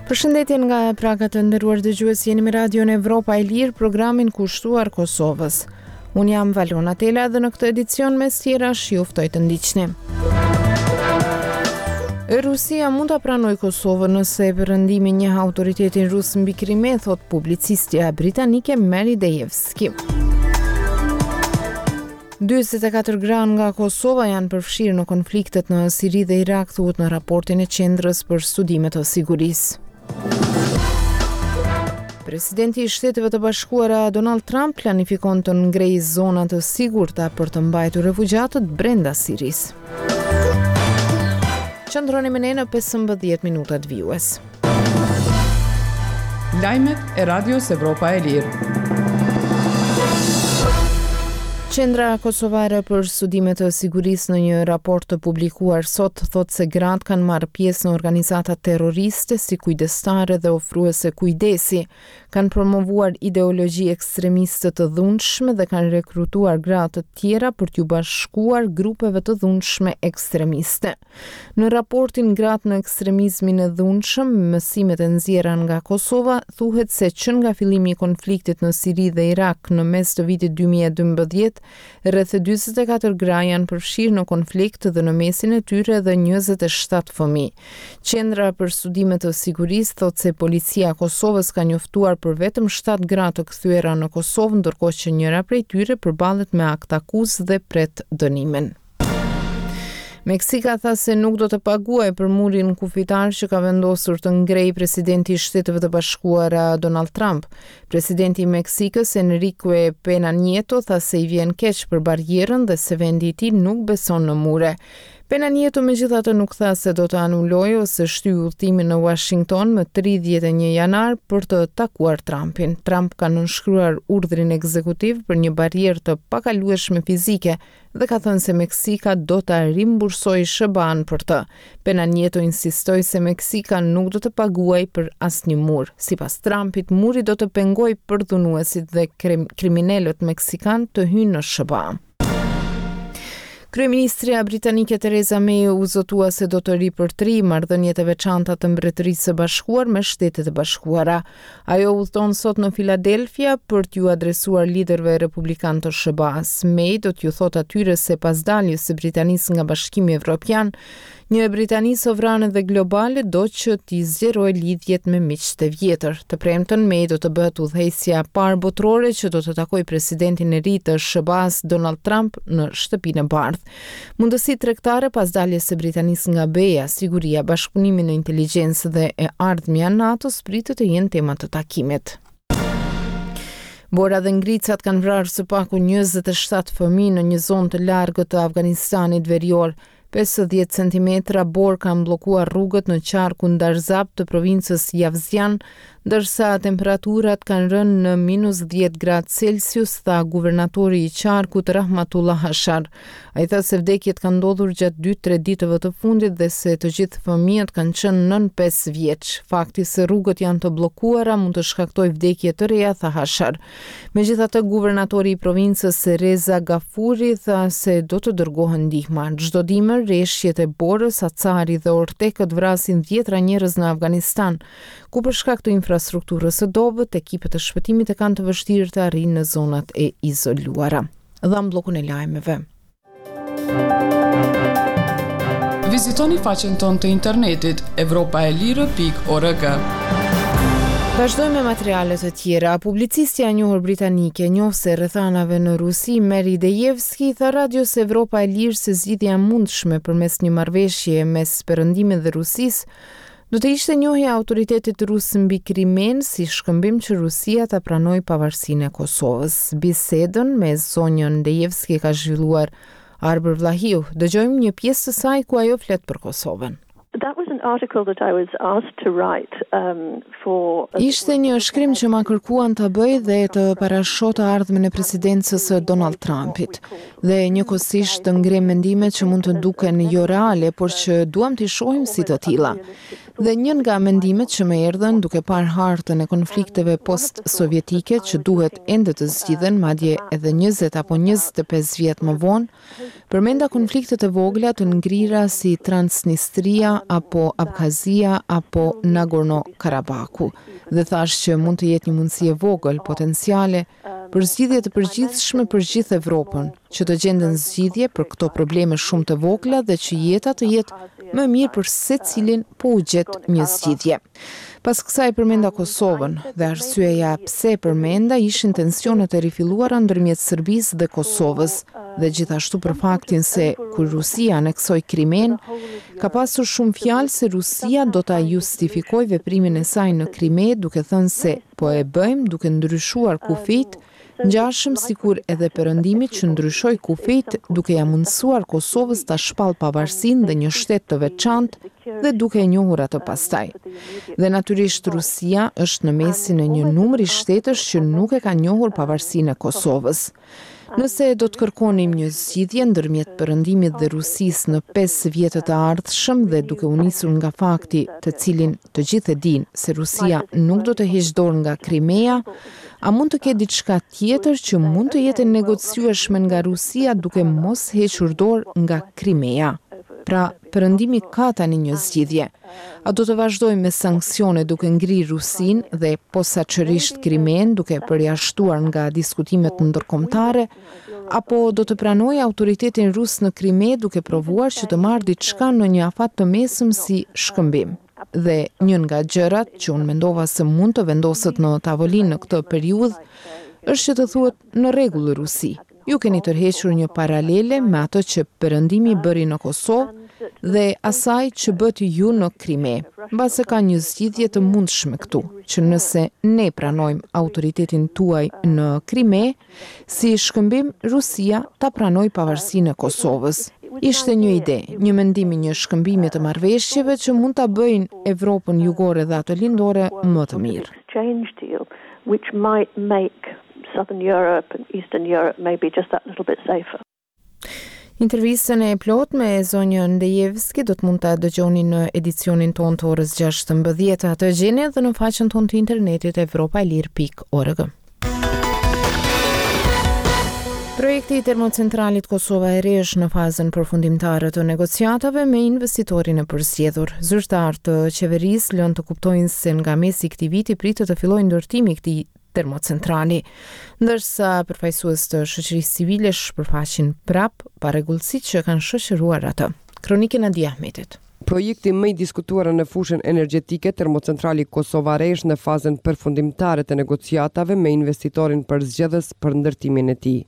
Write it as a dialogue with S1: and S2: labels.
S1: Përshëndetje nga Praga të nderuar dëgjues, jeni me Radion Evropa e Lirë, programin kushtuar Kosovës. Unë jam Valona Tela dhe në këtë edicion mes tjerash ju ftoj të ndiqni. Rusia mund ta pranojë Kosovën nëse Perëndimi njeh autoritetin rus mbi Krime, thotë publicistja britanike Mary Dejevsky. 44 gra nga Kosova janë përfshirë në konfliktet në Siri dhe Irak, thuhet në raportin e Qendrës për Studime të Sigurisë. Presidenti i Shteteve të Bashkuara Donald Trump planifikon të ngrejë zona të sigurta për të mbajtur refugjatët brenda Sirisë. Qëndroni me ne në 15 minutat vijues.
S2: Lajmet e Radios Evropa e Lirë.
S1: Qendra Kosovare për Studime të Sigurisë në një raport të publikuar sot thotë se gratë kanë marrë pjesë në organizata terroriste si kujdestare dhe ofruese kujdesi, kanë promovuar ideologji ekstremiste të dhunshme dhe kanë rekrutuar gra të tjera për t'iu bashkuar grupeve të dhunshme ekstremiste. Në raportin Gratë në ekstremizmin e dhunshëm, mësimet e nxjerra nga Kosova, thuhet se që nga fillimi i konfliktit në Siri dhe Irak në mes të vitit 2012, rreth 44 gra janë përfshirë në konflikt dhe në mesin e tyre edhe 27 fëmijë. Qendra për Studime të Sigurisë thotë se Policia e Kosovës ka njoftuar për vetëm 7 gra të kthyera në Kosovë, ndërkohë që njëra prej tyre përballet me aktakuzë dhe pret dënimin. Meksika tha se nuk do të paguajë për murin kufitar që ka vendosur të ngrejë presidenti i Shteteve të Bashkuara Donald Trump. Presidenti i Meksikës Enrique Pena Nieto tha se i vjen keq për barrierën dhe se vendi i tij nuk beson në mure. Pena Nieto megjithatë nuk tha se do të anulojë ose shtyjë udhëtimin në Washington më 31 janar për të takuar Trumpin. Trump ka nënshkruar urdhrin ekzekutiv për një barrierë të pakalueshme fizike dhe ka thënë se Meksika do ta rimbursojë SHBA-në për të. Pena Nieto insistoi se Meksika nuk do të paguajë për asnjë mur. Sipas Trumpit, muri do të pengojë përdhunuesit dhe kriminelët meksikanë të hyjnë në SHBA. Kryeministrja britanike Theresa May u zotua se do të ripërtrijë marrëdhëniet e veçanta të Mbretërisë së Bashkuar me Shtetet e Bashkuara. Ajo udhëton sot në Filadelfia për t'iu adresuar liderëve republikanë të SHBA-së. May do t'ju thotë atyre se pas daljes së Britanisë nga Bashkimi Evropian, një Britani sovrane dhe globale do që t'i zgjerojë lidhjet me miqtë e vjetër. Të premten, May do të bëhet udhëheqësja e parë botërore që do të takojë presidentin e ri të SHBA-së Donald Trump në Shtëpinë e Bardhë. Mundësitë tregtare pas daljes së Britanisë nga BE-ja, siguria, bashkëpunimi në inteligjencë dhe e ardhmja e NATO-s pritet të jenë tema të takimit. Bora dhe ngricat kanë vrarë së paku 27 fëmijë në një zonë të largët të Afganistanit verior. 50 centimetra borë kanë bllokuar rrugët në qarkun Darzab të provincës Javzjan, ndërsa temperaturat kanë rënë në minus 10 gradë Celsius, tha guvernatori i qarkut Rahmatullah Hashar. Ai tha se vdekjet kanë ndodhur gjatë 2-3 ditëve të fundit dhe se të gjithë fëmijët kanë qenë nën 5 vjeç. Fakti se rrugët janë të bllokuara mund të shkaktojë vdekje të reja, tha Hashar. Megjithatë, guvernatori i provincës Reza Gafuri tha se do të dërgohen ndihma. Çdo dimër, reshjet e borës, acari dhe ortekët vrasin dhjetra njerëz në Afganistan, ku për shkak të infrastrukturës së dobët, ekipet e shpëtimit e kanë të vështirë të arrijnë në zonat e izoluara. Dhamë bllokun e lajmeve.
S2: Vizitoni faqen tonë të internetit evropaelire.org.
S1: Vazhdojmë me materiale të tjera. Publicistja e njohur britanike, njohëse e rrethanave në Rusi, Mary Dejevsky, tha Radios Evropa e Lirë se zgjidhja e mundshme përmes një marrëveshjeje mes Perëndimit dhe Rusisë Do të ishte njohja e autoritetit rus mbi Krimenë si shkëmbim që Rusia ta pranojë pavarësinë e Kosovës. Bisedën me zonjën Dejevsky e ka zhvilluar Arbër Vllahiu. Dëgjojmë një pjesë të saj ku ajo flet për Kosovën.
S3: That was an article that I was asked to write um, for
S1: Ishte një shkrim që ma kërkuan ta bëj dhe të parashoh të ardhmen e presidencës së Donald Trumpit. Dhe njëkohësisht të ngremë mendime që mund të duken jo reale, por që duam t'i shohim si të tilla. Dhe një nga mendimet që më erdhën duke parë hartën e konflikteve post-sovjetike që duhet ende të zgjidhen, madje edhe 20 apo 25 vjet më vonë, përmenda konfliktet e vogla të ngrira si Transnistria apo Abkhazia apo Nagorno-Karabaku. Dhe thashë që mund të jetë një mundësi e vogël, potenciale, për zgjidhje të përgjithshme për gjithë Evropën, që të gjenden zgjidhje për këto probleme shumë të vogla dhe që jeta të jetë më e mirë për secilin po u gjet një zgjidhje. Pas kësaj përmenda Kosovën dhe arsyeja pse e përmenda ishin tensionet e rifilluara ndërmjet Serbisë dhe Kosovës dhe gjithashtu për faktin se kur Rusia aneksoi Krimenë, ka pasur shumë fjalë se Rusia do ta justifikojë veprimin e saj në Krime duke thënë se Po e bëjmë duke ndryshuar kufijtë, ngjashëm sikur edhe Perëndimi që ndryshoi kufijtë duke ia mundësuar Kosovës ta shpallë pavarësinë dhe një shtet të veçantë dhe duke e njohur atë pastaj. Dhe natyrisht Rusia është në mesin e një numri shtetesh që nuk e kanë njohur pavarësinë e Kosovës. Nëse do të kërkonim një zgjidhje ndërmjet Perëndimit dhe Rusisë në pesë vjetët e ardhshëm dhe duke u nisur nga fakti, të cilin të gjithë e dinë, se Rusia nuk do të heqë dorë nga Krimea, a mund të ketë diçka tjetër që mund të jetë e negociueshme nga Rusia duke mos hequr dorë nga Krimea? Pra, Perëndimi ka tani një zgjidhje. A do të vazhdojë me sanksione duke ngrirë Rusinë dhe posaçërisht Krimenë duke e përjashtuar nga diskutimet ndërkombëtare, apo do të pranojë autoritetin rus në Krime duke provuar që të marrë diçka në një afat të mesëm si shkëmbim? Dhe një nga gjërat që unë mendova se mund të vendoset në tavolinë në këtë periudhë është që të thuhet në rregull Rusi. Ju keni tërhequr një paralele me atë që Perëndimi bëri në Kosovë dhe asaj që bëtë ju në Krime. Mbase ka një zgjidhje të mundshme këtu, që nëse ne pranojmë autoritetin tuaj në Krime, si shkëmbim Rusia ta pranojë pavarësinë e Kosovës. Ishte një ide, një mendim i një shkëmbimi të marrëveshjeve që mund ta bëjnë Evropën Jugore dhe atë Lindore më të mirë.
S3: Southern Europe and Eastern Europe maybe just that little bit safer.
S1: Intervistën e plotë me zonjën Dejevski do të mund ta dëgjoni në edicionin tonë të orës 16. Atë e gjeni edhe në faqen tonë të internetit evropaelire.org. Projekti i termocentralit Kosova e Re është në fazën përfundimtare të negociatave me investitorin e përzgjedhur. Zyrtarë të qeverisë lënë të kuptojnë se nga mesi i këtij viti pritet të fillojë ndërtimi i këtij termocentrali, ndërsa përfaqësues të shoqërisë civile shpërfaqin prapë parregullsitë që kanë shoqëruar atë. Kronikë e Nadia Ahmetit.
S4: Projekti më i diskutuar në fushën energjetike, termocentrali Kosova e Re është në fazën përfundimtare të negociatave me investitorin përzgjedhës për ndërtimin e tij.